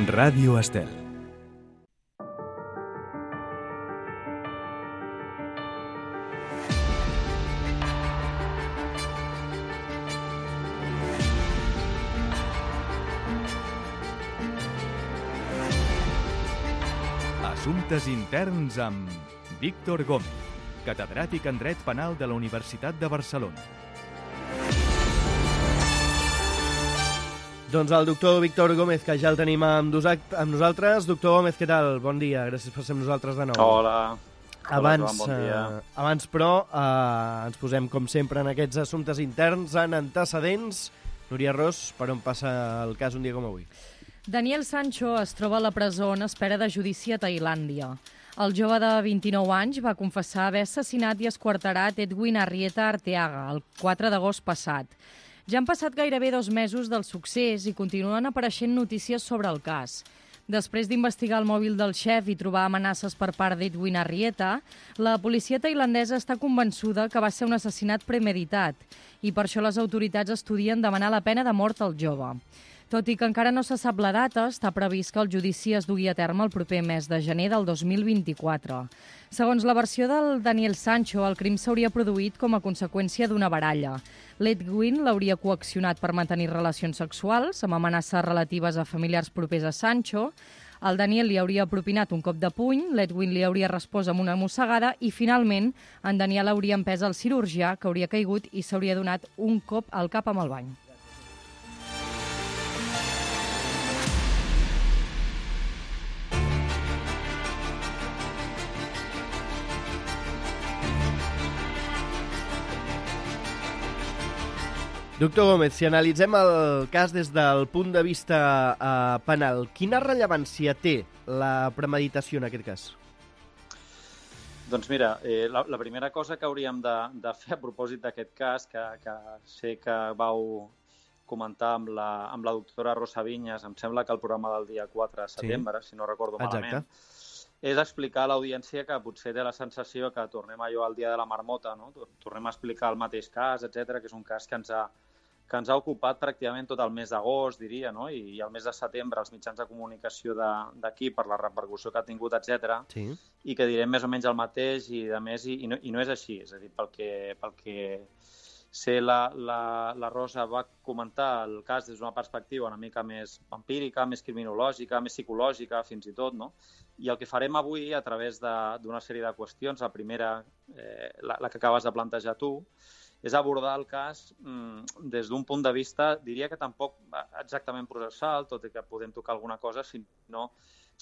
Ràdio Estel. Assumptes interns amb Víctor Gómez, catedràtic en Dret Penal de la Universitat de Barcelona. Doncs el doctor Víctor Gómez, que ja el tenim amb nosaltres. Doctor Gómez, què tal? Bon dia, gràcies per ser amb nosaltres de nou. Hola. Abans, bon dia. Abans però, ens posem, com sempre, en aquests assumptes interns, en antecedents. Núria Ros, per on passa el cas un dia com avui? Daniel Sancho es troba a la presó en espera de judici a Tailàndia. El jove de 29 anys va confessar haver assassinat i esquarterat Edwin Arrieta Arteaga el 4 d'agost passat. Ja han passat gairebé 2 mesos del succés i continuen apareixent notícies sobre el cas. Després d'investigar el mòbil del xef i trobar amenaces per part d'Edwin Arrieta, la policia tailandesa està convençuda que va ser un assassinat premeditat i per això les autoritats estudien demanar la pena de mort al jove. Tot i que encara no se sap la data, està previst que el judici es dugui a terme el proper mes de gener del 2024. Segons la versió del Daniel Sancho, el crim s'hauria produït com a conseqüència d'una baralla. L'Edwin l'hauria coaccionat per mantenir relacions sexuals, amb amenaces relatives a familiars propers a Sancho. El Daniel li hauria propinat un cop de puny, l'Edwin li hauria respost amb una mossegada i, finalment, en Daniel hauria empès el cirurgià, que hauria caigut i s'hauria donat un cop al cap amb el bany. Doctor Gómez, si analitzem el cas des del punt de vista penal, quina rellevància té la premeditació en aquest cas? Doncs mira, la primera cosa que hauríem de fer a propòsit d'aquest cas, que sé que vau comentar amb la doctora Rosa Vinyes, em sembla que el programa del dia 4 de setembre, si no recordo malament, és explicar a l'audiència que potser té la sensació que tornem allò al dia de la marmota, no? Tornem a explicar el mateix cas, etc, que és un cas que ens ha ocupat pràcticament tot el mes d'agost, diria, no? I el mes de setembre els mitjans de comunicació d'aquí per la repercussió que ha tingut, etc. Sí. I que direm més o menys el mateix i de més, i no és així. És a dir, pel que sé, la Rosa va comentar el cas des d'una perspectiva una mica més empírica, més criminològica, més psicològica, fins i tot, no? I el que farem avui, a través d'una sèrie de qüestions, la primera, la que acabes de plantejar tu, és abordar el cas des d'un punt de vista, diria que tampoc exactament processal, tot i que podem tocar alguna cosa, sinó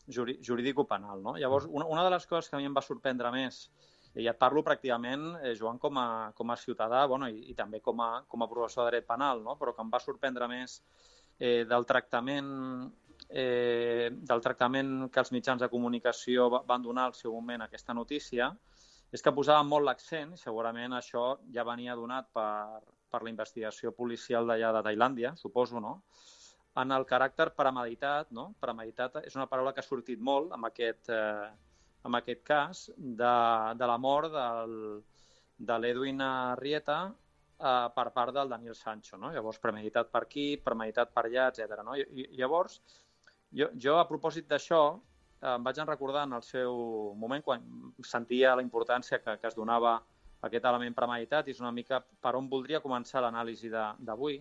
jurídico-penal, no? Llavors, una de les coses que a mi em va sorprendre més, i et parlo pràcticament, Joan, com a ciutadà, bueno, i també com a professor de dret penal, no? Però que em va sorprendre més del tractament que els mitjans de comunicació van donar al seu moment a aquesta notícia, és que posaven molt l'accent, i segurament això ja venia donat per la investigació policial d'allà de Tailàndia, suposo, no? En el caràcter premeditat, no? Premeditat és una paraula que ha sortit molt en aquest cas de la mort de l'Edwin Arrieta per part del Daniel Sancho, no? Llavors, premeditat per aquí, premeditat per allà, etc. No? I llavors, jo a propòsit d'això, em vaig recordar en el seu moment, quan sentia la importància que es donava a aquest element premeditat, i és una mica per on voldria començar l'anàlisi d'avui,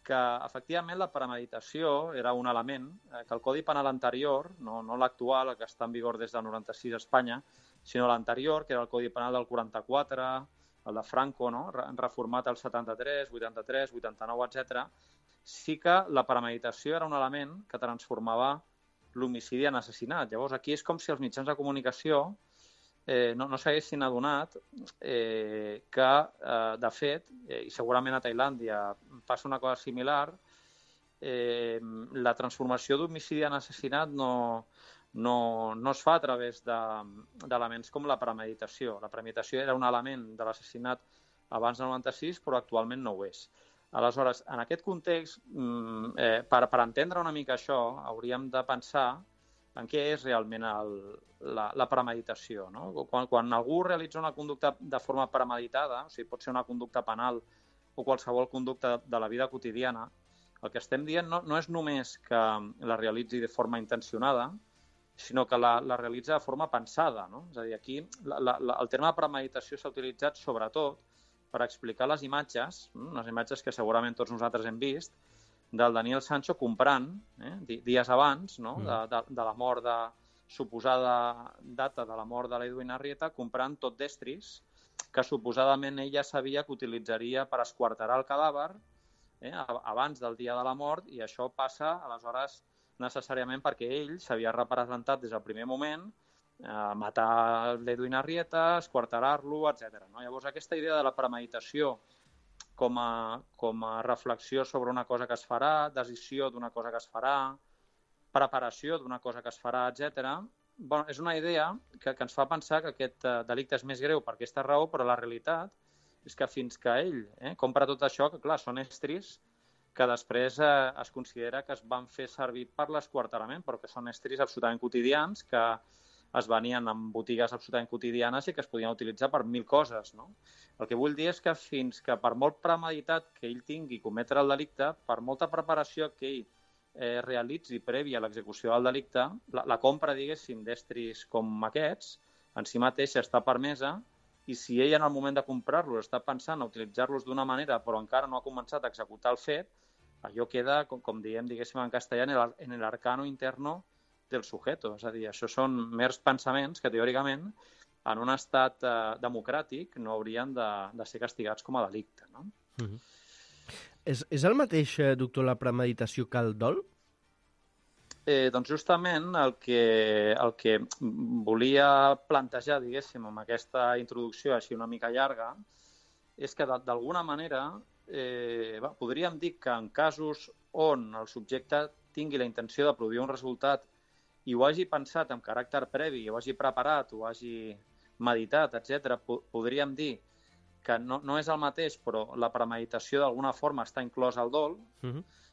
que efectivament la premeditació era un element que el Codi Penal anterior, no l'actual, el que està en vigor des del 96 a Espanya, sinó l'anterior, que era el Codi Penal del 44, el de Franco, no? Reformat el 73, 83, 89, etc. Sí que la premeditació era un element que transformava l'homicidi en assassinat. Llavors, aquí és com si els mitjans de comunicació no s'haguessin adonat que, de fet, i segurament a Tailàndia passa una cosa similar, la transformació d'homicidi en assassinat no es fa a través d'elements com la premeditació. La premeditació era un element de l'assassinat abans del 96, però actualment no ho és. Aleshores, en aquest context, per entendre una mica això, hauríem de pensar en què és realment la premeditació, no? Quan algú realitza una conducta de forma premeditada, o sigui, pot ser una conducta penal o qualsevol conducta de la vida quotidiana, El que estem dient no és només que la realitzi de forma intencionada, sinó que la realitza de forma pensada, no? És a dir, aquí el terme premeditació s'ha utilitzat sobretot per explicar les imatges, unes imatges que segurament tots nosaltres hem vist, del Daniel Sancho comprant, dies abans, no? de la mort suposada data de la mort de l'Edwin Arrieta, comprant tot d'estris que suposadament ella sabia que utilitzaria per esquarterar el cadàver abans del dia de la mort, i això passa, aleshores, necessàriament perquè ell s'havia representat des del primer moment matar l'Edwin Arrieta, esquarterar-lo, etc. No? Llavors, aquesta idea de la premeditació com a reflexió sobre una cosa que es farà, decisió d'una cosa que es farà, preparació d'una cosa que es farà, etc. Bueno, és una idea que ens fa pensar que aquest delicte és més greu per aquesta raó, però la realitat és que fins que ell compra tot això, que clar, són estris que després es considera que es van fer servir per l'esquarterament, però que són estris absolutament quotidians, que es venien en botigues absolutament quotidianes i que es podien utilitzar per 1000 coses, no? El que vull dir és que fins que per molt premeditat que ell tingui cometre el delicte, per molta preparació que ell realitzi prèvia a l'execució del delicte, la compra, diguéssim, d'estris com aquests, en si mateixa està permesa, i si ell en el moment de comprar-los està pensant a utilitzar-los d'una manera però encara no ha començat a executar el fet, allò queda, com diem, diguéssim en castellà, en el arcano interno del sujeto. És a dir, això són mers pensaments que, teòricament, en un estat democràtic no haurien de ser castigats com a delicte, no? És el mateix, doctor, la premeditació que el dol? Doncs justament el que volia plantejar, diguéssim, amb aquesta introducció així una mica llarga, és que d'alguna manera podríem dir que en casos on el subjecte tingui la intenció de produir un resultat i ho hagi pensat amb caràcter previ, ho hagi preparat, ho hagi meditat, etc., podríem dir que no és el mateix, però la premeditació d'alguna forma està inclosa al dol,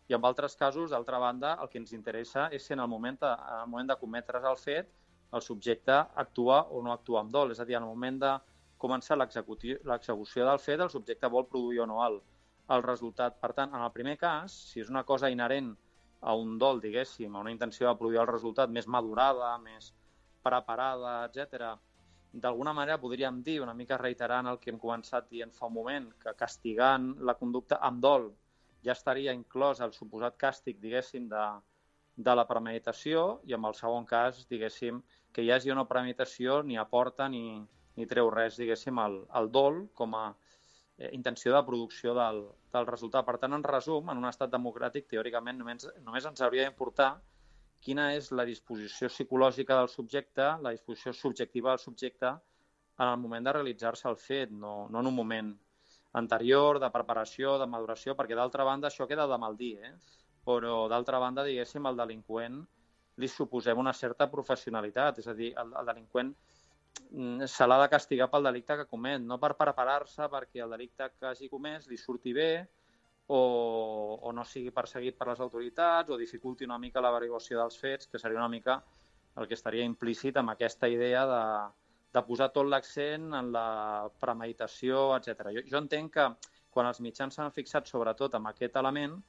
i en altres casos, d'altra banda, el que ens interessa és si en el moment de cometre's el fet, el subjecte actua o no actua amb dol. És a dir, en el moment de començar l'execució del fet, el subjecte vol produir o no el resultat. Per tant, en el primer cas, si és una cosa inherent a un dol, diguéssim, a una intenció de produir el resultat més madurada, més preparada, etc., d'alguna manera podríem dir, una mica reiterant el que hem començat dient fa un moment, que castigant la conducta amb dol ja estaria inclòs el suposat càstig, diguéssim, de la premeditació, i en el segon cas, diguéssim, que hi hagi una premeditació ni aporta ni treu res, diguéssim, al dol com a intenció de producció del resultat. Per tant, en resum, en un estat democràtic, teòricament, només ens hauria d'importar quina és la disposició psicològica del subjecte, la disposició subjectiva del subjecte en el moment de realitzar-se el fet, no en un moment anterior, de preparació, de maduració, perquè d'altra banda això queda de mal dir, però d'altra banda, diguéssim, al delinqüent li suposem una certa professionalitat, és a dir, el delinqüent se l'ha de castigar pel delicte que comet, no per preparar-se perquè el delicte que hagi comès li surti bé o no sigui perseguit per les autoritats o dificulti una mica l'averiguació dels fets, que seria una mica el que estaria implícit amb aquesta idea de posar tot l'accent en la premeditació, etc. Jo entenc que quan els mitjans s'han fixat sobretot en aquest element,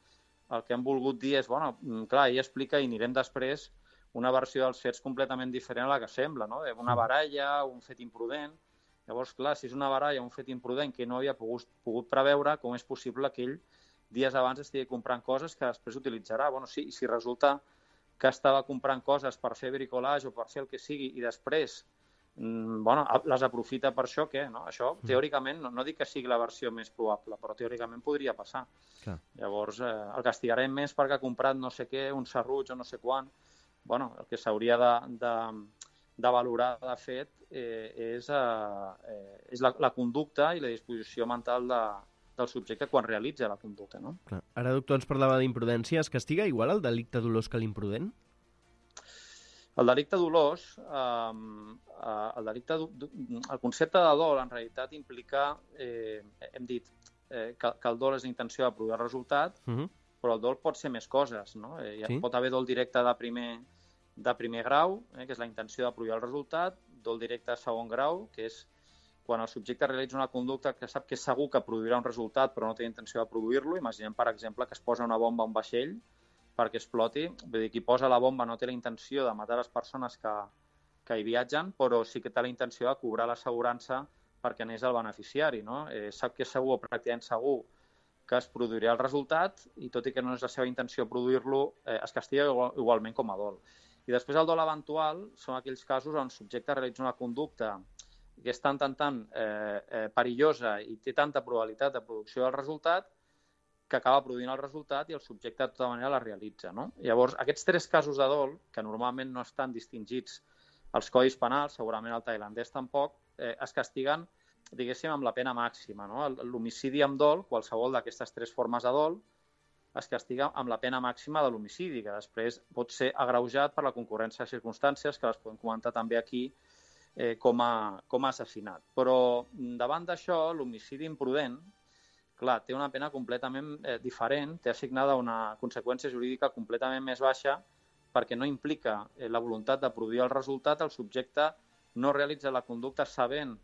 el que han volgut dir és, bueno, clar, ell explica i anirem després una versió dels fets completament diferent a la que sembla, no? Una baralla, un fet imprudent. Llavors, clar, si és una baralla, un fet imprudent que no havia pogut preveure, com és possible que ell dies abans estigui comprant coses que després utilitzarà? Bueno, sí, si resulta que estava comprant coses per fer bricolage o per fer el que sigui i després les aprofita per això, què? No? Això, teòricament, no dic que sigui la versió més probable, però teòricament podria passar. Clar. Llavors, el castigarem més perquè ha comprat no sé què, un serruig o no sé quan. Bueno, el que s'hauria de valorar, de fet, és la conducta i la disposició mental del subjecte quan realitza la conducta, no? Clar. Ara, doctor, ens parlava d'imprudència. Es castiga igual el delicte dolós que l'imprudent? El delicte dolós, el concepte de dol en realitat implica, hem dit, que el dol és l'intenció de produir el resultat, però el dol pot ser més coses, no? Pot haver dol directe de primer grau, que és la intenció de produir el resultat, dol directe de segon grau, que és quan el subjecte realitza una conducta que sap que és segur que produirà un resultat però no té intenció de produir-lo. Imaginem, per exemple, que es posa una bomba a un vaixell perquè exploti. Vull dir, qui posa la bomba no té la intenció de matar les persones que hi viatgen, però sí que té la intenció de cobrar l'assegurança perquè n'és el beneficiari, no? Sap que és segur o pràcticament segur que es produirà el resultat i tot i que no és la seva intenció produir-lo, es castiga igualment com a dol. I després el dol eventual són aquells casos on el subjecte realitza una conducta que és tan perillosa i té tanta probabilitat de producció del resultat que acaba produint el resultat i el subjecte de tota manera la realitza, no? Llavors, aquests 3 casos de dol, que normalment no estan distingits als codis penals, segurament al tailandès tampoc, es castiguen, diguéssim, amb la pena màxima, no? L'homicidi amb dol, qualsevol d'aquestes 3 formes de dol, es castiga amb la pena màxima de l'homicidi, que després pot ser agreujat per la concurrència de circumstàncies, que les podem comentar també aquí, com a assassinat. Però davant d'això, l'homicidi imprudent, clar, té una pena completament diferent, té assignada una conseqüència jurídica completament més baixa perquè no implica la voluntat de produir el resultat, el subjecte no realitza la conducta sabent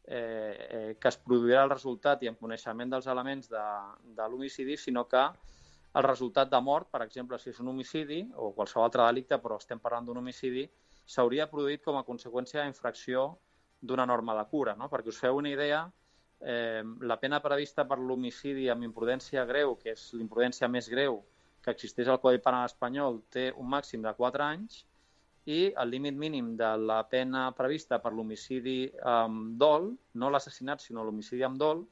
que es produirà el resultat i en coneixement dels elements de l'homicidi, sinó que el resultat de mort, per exemple, si és un homicidi o qualsevol altre delicte, però estem parlant d'un homicidi, s'hauria produït com a conseqüència d'infracció d'una norma de cura, no? Perquè us feu una idea, la pena prevista per l'homicidi amb imprudència greu, que és l'imprudència més greu que existeix al Codi Penal espanyol, té un màxim de 4 anys i el límit mínim de la pena prevista per l'homicidi amb dol, no l'assassinat, sinó l'homicidi amb dol,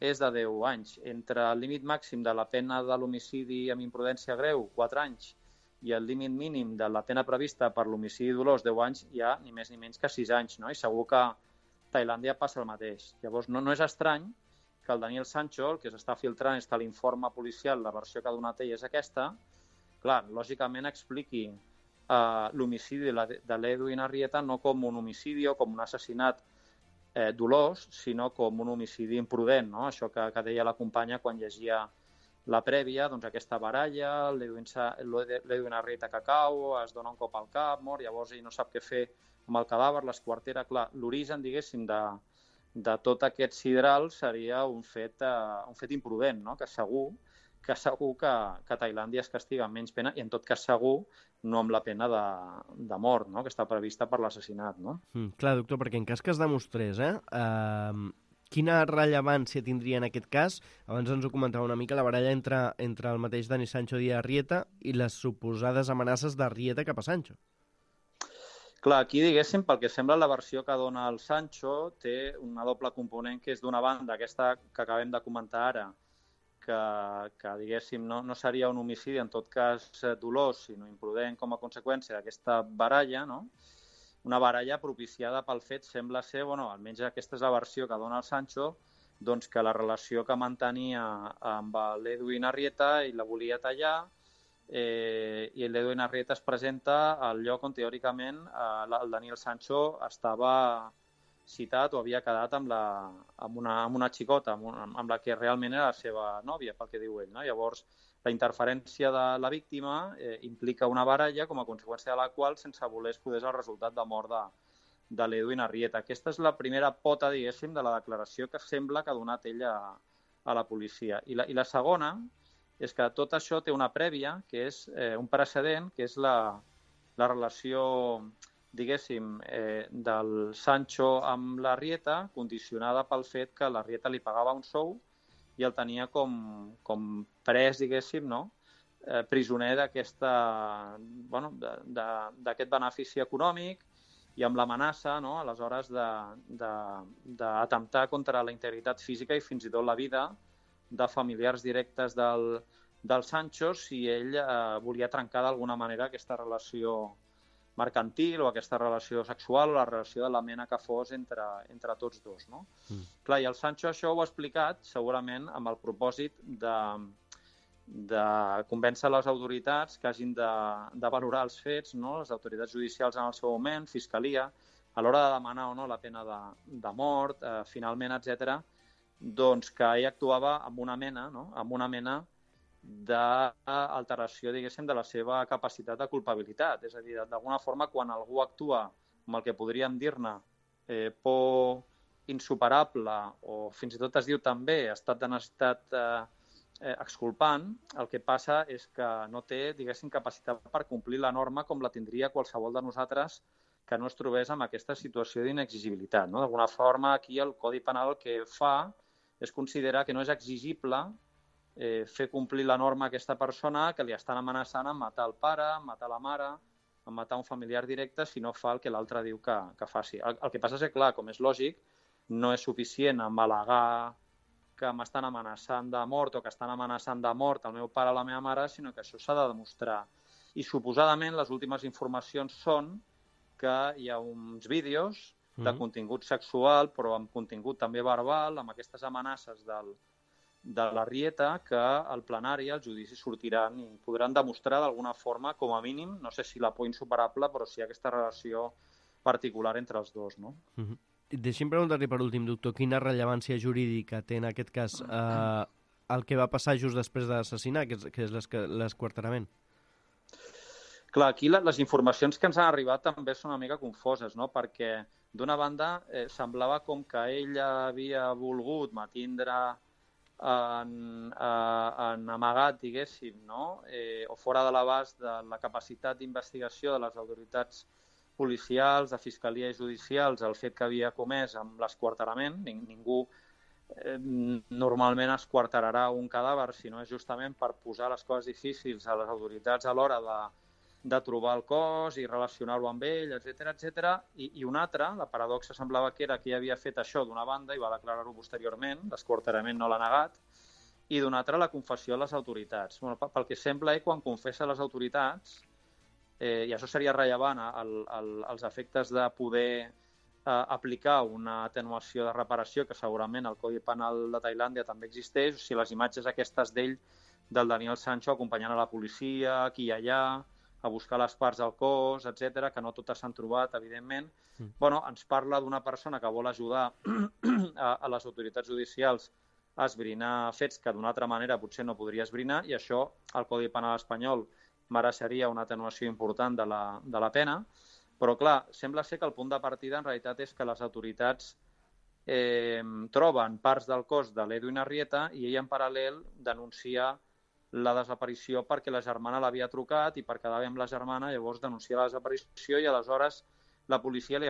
és de 10 anys. Entre el límit màxim de la pena de l'homicidi amb imprudència greu, 4 anys, i el límit mínim de la pena prevista per l'homicidi dolós, 10 anys, hi ha ni més ni menys que 6 anys, no? I segur que a Tailàndia passa el mateix. Llavors, no és estrany que el Daniel Sancho, el que s'està filtrant és que l'informe policial, la versió que ha donat ell és aquesta, clar, lògicament expliqui l'homicidi de l'Edwin Arrieta no com un homicidi o com un assassinat dolós, sinó com un homicidi imprudent, no? Això que deia la companya quan llegia la prèvia, doncs aquesta baralla, l'Edwin Arrieta que cau, es dona un cop al cap, mor, llavors ell no sap què fer amb el cadàver, l'esquartera, clar, l'origen, diguéssim, de tot aquest sidral seria un fet imprudent, no? Que segur que Tailàndia es castiga amb menys pena i en tot cas segur no amb la pena de mort, no? Que està prevista per l'assassinat, no? Clar, doctor, perquè en cas que es demostrés, quina rellevància tindria en aquest cas? Abans ens ho comentava una mica, la baralla entre el mateix Dani Sancho i Arrieta i les suposades amenaces d'Arrieta cap a Sancho. Clar, aquí, diguéssim, pel que sembla, la versió que dona el Sancho té una doble component, que és d'una banda, aquesta que acabem de comentar ara, que diguéssim, no seria un homicidi, en tot cas dolós, sinó imprudent com a conseqüència d'aquesta baralla, no? Una baralla propiciada pel fet, sembla ser, almenys aquesta és la versió que dona el Sancho, doncs que la relació que mantenia amb l'Edwin Arrieta i la volia tallar, i l'Edwin Arrieta es presenta al lloc on teòricament el Daniel Sancho estava citat o havia quedat amb una xicota, amb la que realment era la seva nòvia, pel que diu ell, no? Llavors, la interferència de la víctima implica una baralla com a conseqüència de la qual, sense voler, es produeix el resultat de mort de l'Edwin Arrieta. Aquesta és la primera pota, diguéssim, de la declaració que sembla que ha donat ell a la policia. I la segona és que tot això té una prèvia, que és un precedent, que és la relació, diguéssim, del Sancho amb l'Arrieta, condicionada pel fet que l'Arrieta li pagava un sou i el tenia com pres, diguéssim, no? Prisioner d'aquest benefici econòmic i amb l'amenaça, no? Aleshores, d'atemptar contra la integritat física i fins i tot la vida de familiars directes del Sancho si ell volia trencar d'alguna manera aquesta relació mercantil o aquesta relació sexual o la relació de la mena que fos entre tots dos, no? Clar, i el Sancho això ho ha explicat segurament amb el propòsit de convèncer les autoritats que hagin de valorar els fets, no? Les autoritats judicials en el seu moment, fiscalia, a l'hora de demanar o no la pena de mort, finalment, etc., doncs que ell actuava amb una mena, no? Amb una mena d'alteració, diguéssim, de la seva capacitat de culpabilitat. És a dir, d'alguna forma, quan algú actua amb el que podríem dir-ne por insuperable, o fins i tot es diu també estat de necessitat exculpant, el que passa és que no té, diguéssim, capacitat per complir la norma com la tindria qualsevol de nosaltres que no es trobés en aquesta situació'inexigibilitat. No? D'alguna forma, aquí el Codi Penal el que fa és considerar que no és exigible fer complir la norma a aquesta persona que li estan amenaçant amb matar el pare, amb matar la mare, amb matar un familiar directe si no fa el que l'altre diu que faci. El que passa és que, clar, com és lògic, no és suficient amb al·legar que m'estan amenaçant de mort o que estan amenaçant de mort el meu pare o la meva mare, sinó que això s'ha de demostrar. I suposadament les últimes informacions són que hi ha uns vídeos de contingut sexual, però amb contingut també verbal, amb aquestes amenaces de la Rieta, que al plenari, al judici, sortiran i podran demostrar d'alguna forma, com a mínim, no sé si la por insuperable, però sí aquesta relació particular entre els dos, no? Deixi'm preguntar-li per últim, doctor, quina rellevància jurídica té en aquest cas el que va passar just després d'assassinar, que és l'esquarterament? Clar, aquí les informacions que ens han arribat també són una mica confoses, no? Perquè, d'una banda, semblava com que ell havia volgut mantindre en amagat, diguéssim, no? O fora de l'abast de la capacitat d'investigació de les autoritats policials, de fiscalia i judicials, el fet que havia comès amb l'esquarterament. Ningú normalment esquarterarà un cadàver, sinó és justament per posar les coses difícils a les autoritats a l'hora de trobar el cos i relacionar-ho amb ell, etc. I una altra, la paradoxa semblava que era que havia fet això d'una banda i va declarar-ho posteriorment, l'esquarterament no l'ha negat, i d'una altra la confessió a les autoritats. Bueno, pel que sembla, quan confessa a les autoritats, i això seria rellevant als efectes de poder aplicar una atenuació de reparació, que segurament al Codi Penal de Tailàndia també existeix, o sigui, les imatges aquestes d'ell, del Daniel Sancho, acompanyant a la policia, aquí i allà, a buscar les parts del cos, etc, que no totes s'han trobat, evidentment. Bueno, ens parla d'una persona que vol ajudar a les autoritats judicials a esbrinar fets que d'una altra manera potser no podria esbrinar, i això el Codi Penal espanyol mereixeria una atenuació important de la pena, però clar, sembla ser que el punt de partida en realitat és que les autoritats troben parts del cos de l'Edwin Arrieta i ell en paral·lel denuncia la desaparició perquè la germana l'havia trucat i per quedar bé amb la germana llavors denuncia la desaparició i aleshores a la policia li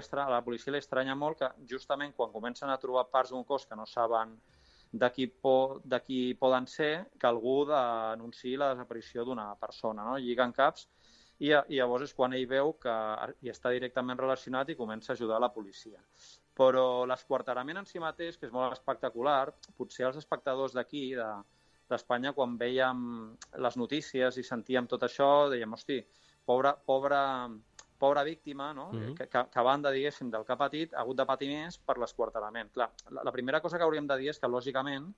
estranya molt que justament quan comencen a trobar parts d'un cos que no saben de qui poden ser, que algú denunciï la desaparició d'una persona, no? Lliguen caps i llavors és quan ell veu que hi està directament relacionat i comença a ajudar la policia. Però l'esquarterament en si mateix, que és molt espectacular, potser els espectadors d'aquí, d'Espanya, quan veiem les notícies i sentíem tot això, dèiem, hosti, pobra víctima, no? Que a banda, diguéssim, del que ha patit, ha hagut de patir més per l'esquarterament. Clar, la primera cosa que hauríem de dir és que, lògicament,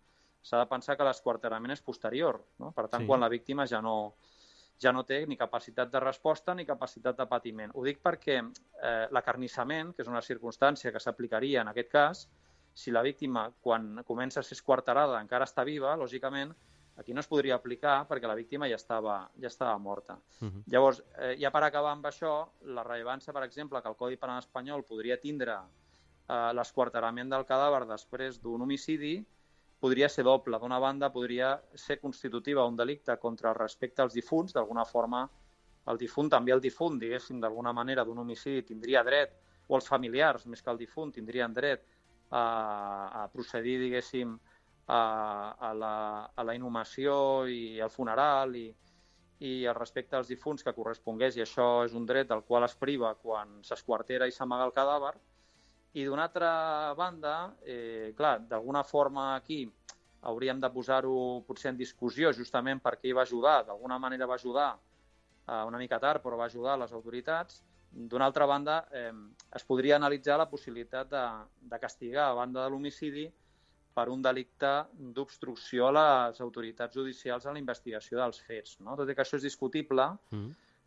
s'ha de pensar que l'esquarterament és posterior, no? Per tant, quan la víctima ja no té ni capacitat de resposta ni capacitat de patiment. Ho dic perquè l'acarnissament, que és una circumstància que s'aplicaria en aquest cas, si la víctima, quan comença a ser esquarterada, encara està viva, lògicament, aquí no es podria aplicar perquè la víctima ja estava morta. Llavors, ja per acabar amb això, la rellevància, per exemple, que el Codi Penal espanyol podria tindre l'esquarterament del cadàver després d'un homicidi, podria ser doble. D'una banda, podria ser constitutiva un delicte contra el respecte als difunts. D'alguna forma, el difunt, diguéssim, d'alguna manera, d'un homicidi tindria dret, o els familiars, més que el difunt, tindrien dret a procedir, diguéssim, a la inhumació i al funeral i el respecte als difunts que correspongués, i això és un dret del qual es priva quan s'esquartera i s'amaga el cadàver. I d'una altra banda, clar, d'alguna forma aquí hauríem de posar-ho potser en discussió justament perquè ell va ajudar, d'alguna manera va ajudar, una mica tard, però va ajudar les autoritats. D'una altra banda, es podria analitzar la possibilitat de castigar a banda de l'homicidi per un delicte d'obstrucció a les autoritats judicials en la investigació dels fets, no? Tot i que això és discutible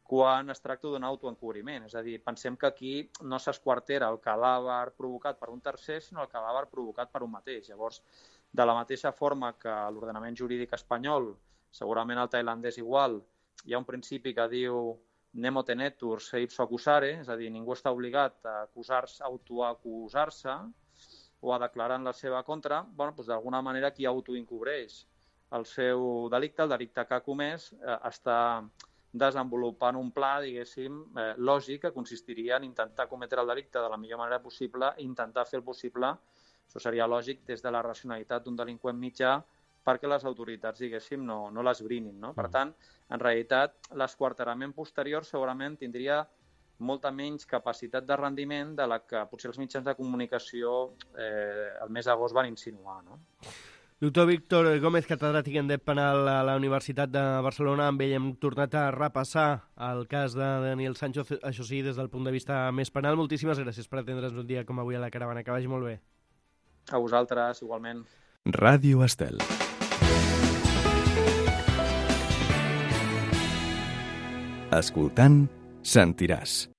quan es tracta d'un autoencobriment. És a dir, pensem que aquí no s'esquartera el cadàver provocat per un tercer, sinó el cadàver provocat per un mateix. Llavors, de la mateixa forma que l'ordenament jurídic espanyol, segurament el tailandès igual, hi ha un principi que diu nemo tenetur se ipso accusare, és a dir, ningú està obligat a autoacusar-se, o a declarar en la seva contra, doncs d'alguna manera qui autoencobreix el seu delicte, el delicte que ha comès, està desenvolupant un pla, diguéssim, lògic que consistiria en intentar cometre el delicte de la millor manera possible i intentar fer el possible, això seria lògic des de la racionalitat d'un delinqüent mitjà, perquè les autoritats, diguéssim, no l'esbrinin, no? Per tant, en realitat, l'esquarterament posterior segurament tindria molta menys capacitat de rendiment de la que potser els mitjans de comunicació el mes d'agost van insinuar, no? Doctor Víctor Gómez, catedràtic en dret penal a la Universitat de Barcelona. Amb ell hem tornat a repassar el cas de Daniel Sancho, això sí, des del punt de vista més penal. Moltíssimes gràcies per atendre's un dia com avui a la Caravana. Que vagi molt bé. A vosaltres, igualment. Ràdio Estel. Escoltant, sentiràs.